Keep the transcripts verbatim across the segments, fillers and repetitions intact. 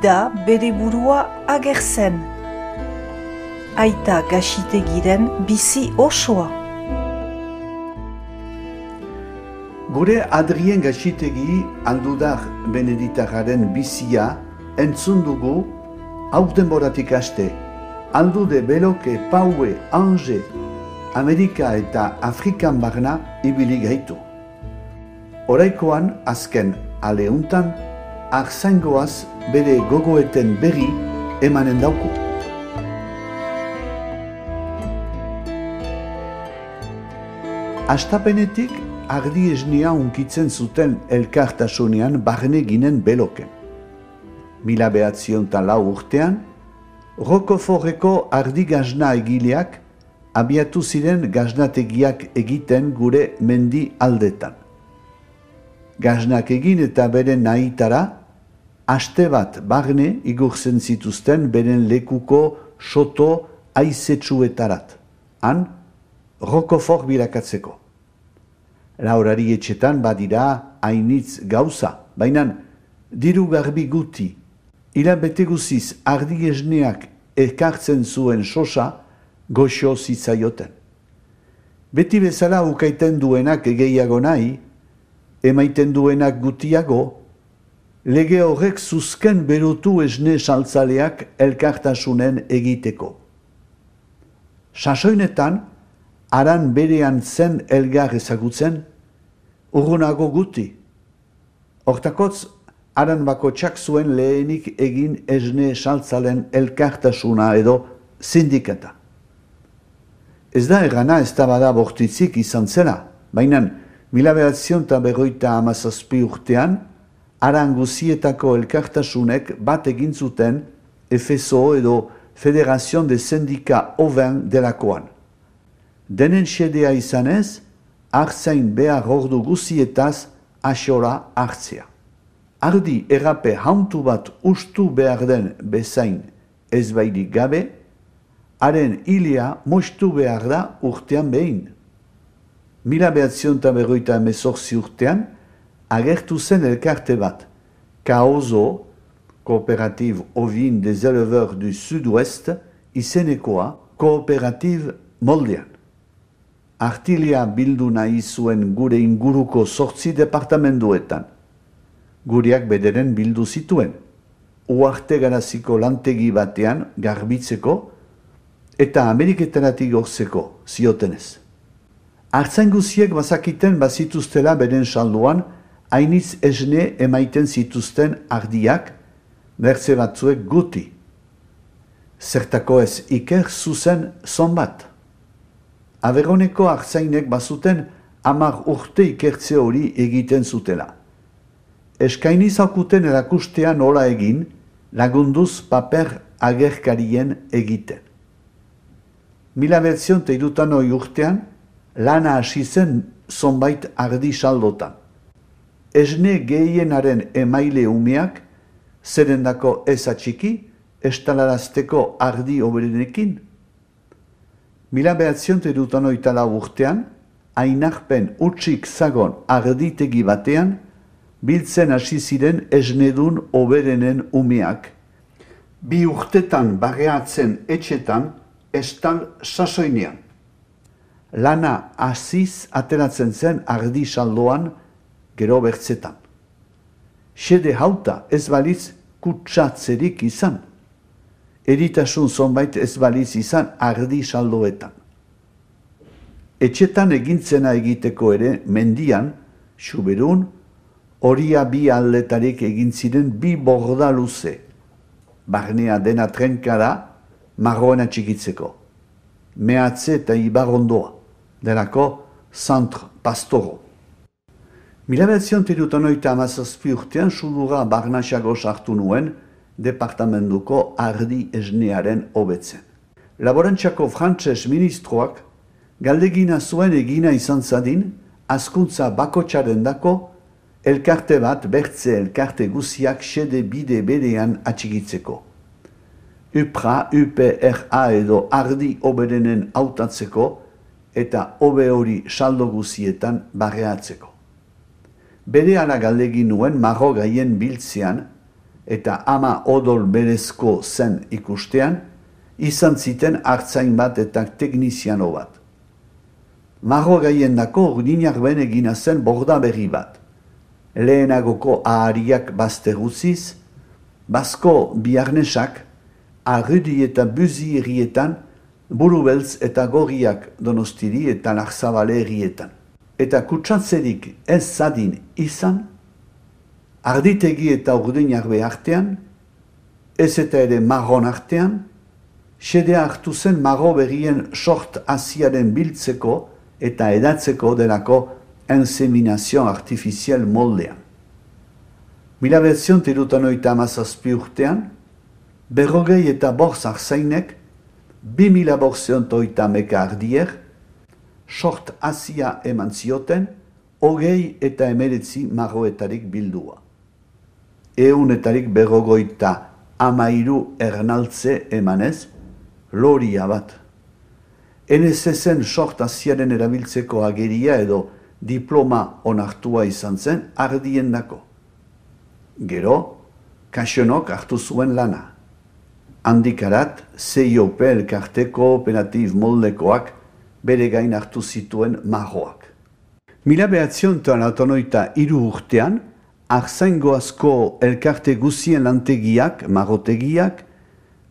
da bere burua agertzen. Aita Gaxitegiren bizi osoa. Gure Adrien Gaxitegi Aldudar Beneditarraren bizia entzun dugu hau denboratik haste. Aldude Beloke, Paue, Ange, Amerika eta Afrikan barna ibili gaitu. Oraikoan azken aleuntan, arzaingoaz bere gogoeten berri emanen dauku. Astapenetik ardi esnea unkitzen zuten elkartasunean barne ginen Beloken. Mila behatzion eta lau urtean, Rokoforreko ardi gazna egileak abiatu ziren gaznategiak egiten gure mendi aldetan. Gaznak egin eta beren nahitara, aste bat barne igurtzen zituzten beren lekuko soto aizetsuetarat, han Rokofor bilakatzeko. Laurari etxetan badira hainitz gauza, baina diru garbi guti, hilabete guziz ardi esneak ekartzen zuen sosa goxo zitzaioten. Beti bezala ukaiten duenak gehiago nahi, emaiten duenak gutiago, lege horrek zuzken berutu esne saltzaleak elkartasunen egiteko. Sasoinetan, aran berean zen elgar ezagutzen, urrunago guti. Hortakotz, aran bakotsak zuen lehenik egin esne saltzalen elkartasuna edo sindikata. Ez da errana ez da bada bortitzik izan zela, baina mila behatzion eta berroita hamazazpi urtean, aran guzietako elkartasunek bat egin zuten F S O edo Federazion de Sindika Oven delakoan. Denen xedea izanez, artzain behar ordu guzietaz asora hartzea. Ardi errape hauntu bat ustu behar den bezain ezbairik gabe, haren hilia mostu behar da urtean behin. Mila behatzion eta berroita emezortzi urtean, agertu zen elkarte bat, Kaozo, Coopérative Ovine des Éleveurs du Sud-Ouest, izenekoa Coopérative moldean. Artilia bildu nahi zuen gure inguruko zortzi departamenduetan. Gureak bederen bildu zituen, uarte garaziko lantegi batean garbitzeko eta Ameriketaratik gorzeko ziotenez. Artzain guziek bazakiten bazituztela beren salduan, hainitz esne emaiten zituzten ardiak, bertze batzuek guti. Zertako ez iker zuzen zonbat. Averoneko artzainek bazuten hamar urte ikertze hori egiten zutela. Eskaini zaukuten erakustea nola egin, lagunduz paper agerkarien egiten. Mila behatzion eta hirutan hori urtean, lana hasi zen zonbait ardi saldotan. Esne gehienaren emaile umeak, zerendako ez atxiki, estalarazteko ardi oberenekin. Mila behatzion eta hirutan hori urtean, ainarpen utxik zagon arditegi batean, biltzen hasi ziren esnedun oberenen umeak. Bi urtetan barreatzen etxetan, estal sasoinean. Lana hasiz ateratzen zen ardi saldoan gero bertzetan. Xede hauta ez baliz kutsatzerik izan. Eritasun zonbait ez baliz izan ardi saldoetan. Etxetan egintzena egiteko ere mendian, Xuberun, horia bi aldetarik egin ziren bi borda luze. Barnea dena trenkara, marroena txikitzeko. Mehatze eta ibarondoa, delako Centre Pastoro. Mila behatzion eta hirurogeita hogeita hamazazpi urtean sudurra barnaxago sartu nuen departamentuko ardi esnearen hobetzen. Laborantxako frantses ministroak galdegina zuen egina izan zadin, hazkuntza bakotxaren dako, elkarte bat bertze elkarte guziak xede bide berean atxigitzeko. U P R A, U P R A edo ardi oberenen hautatzeko eta hobe hori saldo guzietan barreatzeko. Bere ala galdegin nuen marro gaien biltzean, eta ama odol berezko zen ikustean, izan ziten hartzain bat eta tekniziano bat. Marro gaien dako urdinak ben egina zen borda berri bat. Lehenagoko ahariak bazterruziz, bazko biarnesak, arrudi eta buzi errietan, burubeltz eta gorriak Donostiri eta Larzabale errietan. Eta kutsatzerik ez zadin izan, arditegi eta urdinarbe artean, ez eta ere marron artean, xedea hartu zen marro berrien sort asiaren biltzeko eta edatzeko delako inseminazio artifizial moldean. Mila behatzion tirutan oita amazazpi urtean, berrogei eta borz arzainek, bi mila borzion toita meka ardier, sort asia eman zioten, hogei eta emeretzi marroetarik bildua. Eunetarik berrogoita amairu ernaltze emanez, loria bat. Enez ezen sort asiaren erabiltzeko ageria edo diploma onartua izan zen ardien dako. Gero, kaxonok hartu zuen lana. Handikarat, C I O P elkarte kooperativ moldekoak bere gain hartu zituen marroak. Mila behatzion eta laurogeita hiru urtean, arzaingoazko elkarte guzien lantegiak, marrotegiak,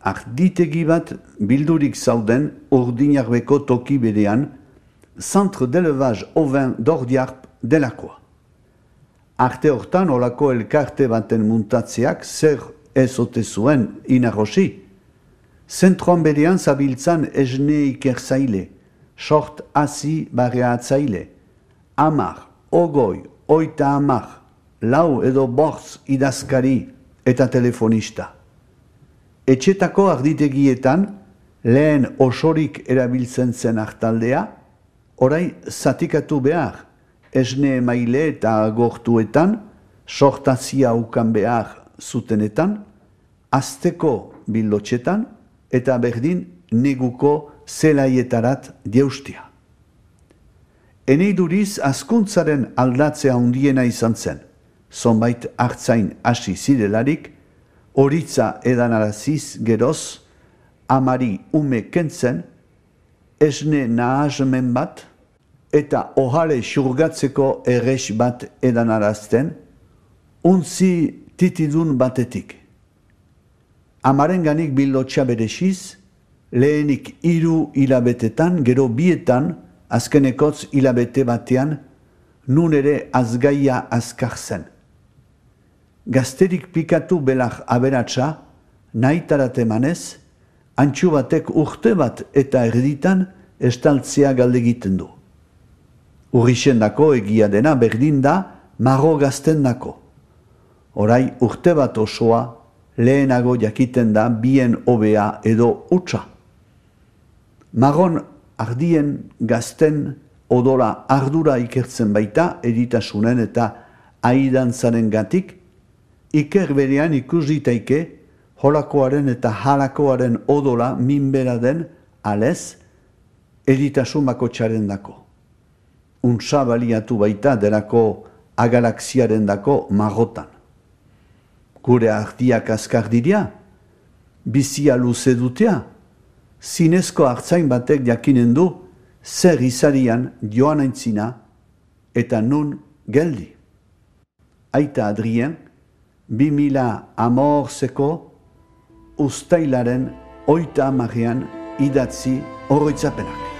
arditegi bat bildurik zauden urdinarbeko toki berean, Centre d'Elevage Ovin d'Ordiarp delakoa. Arte hortan olako elkarte baten muntatzeak zer ez ote zuen inarrosi. Zentroan berean zabiltzan esne ikerzaile, sort hasi barreatzaile, amar, ogoi, oita amar, lau edo bortz idazkari eta telefonista. Etxetako arditegietan lehen osorik erabiltzen zen hartaldea, orai zatikatu behar, esne emaile eta agortuetan, sortazia ukan behar zutenetan, azteko bildotxetan eta berdin neguko zelaietarat dieustia. Eneiduriz azkuntzaren aldatzea handiena izan zen, zonbait hartzain hasi zirelarik, horitza edanaraziz geroz, amari ume kentzen, esne nahasmen bat, eta ohale xurgatzeko errex bat edanarazten, untzi titidun batetik. Amaren ganik bildotxa berexiz, lehenik hiru hilabetetan, gero bietan, azkenekotz hilabete batean, nun ere azgaia azkar zen. Gazterik pikatu belak aberatsa, nahitarat emanez, antxu batek urte bat eta erditan estaltzea galdegiten du. Urrixen dako egia dena berdin da marro gazten dako. Orai urte bat osoa lehenago jakiten da bien hobea edo utza. Marron ardien gazten odola ardura ikertzen baita eritasunen eta aidantzaren gatik, iker berean ikus ditaike holakoaren eta halakoaren odola minbera den alez eritasun bakotxaren dako. Untsa baliatu baita delako agalaxiaren dako marrotan. Gure ardiak azkar diria, bizia luze dutea, zinezko hartzain batek jakinen du zer izarian joan aintzina eta nun geldi. Aita Adrien, bi mila hamorzeko ustailaren oita amarean idatzi oroitzapenak.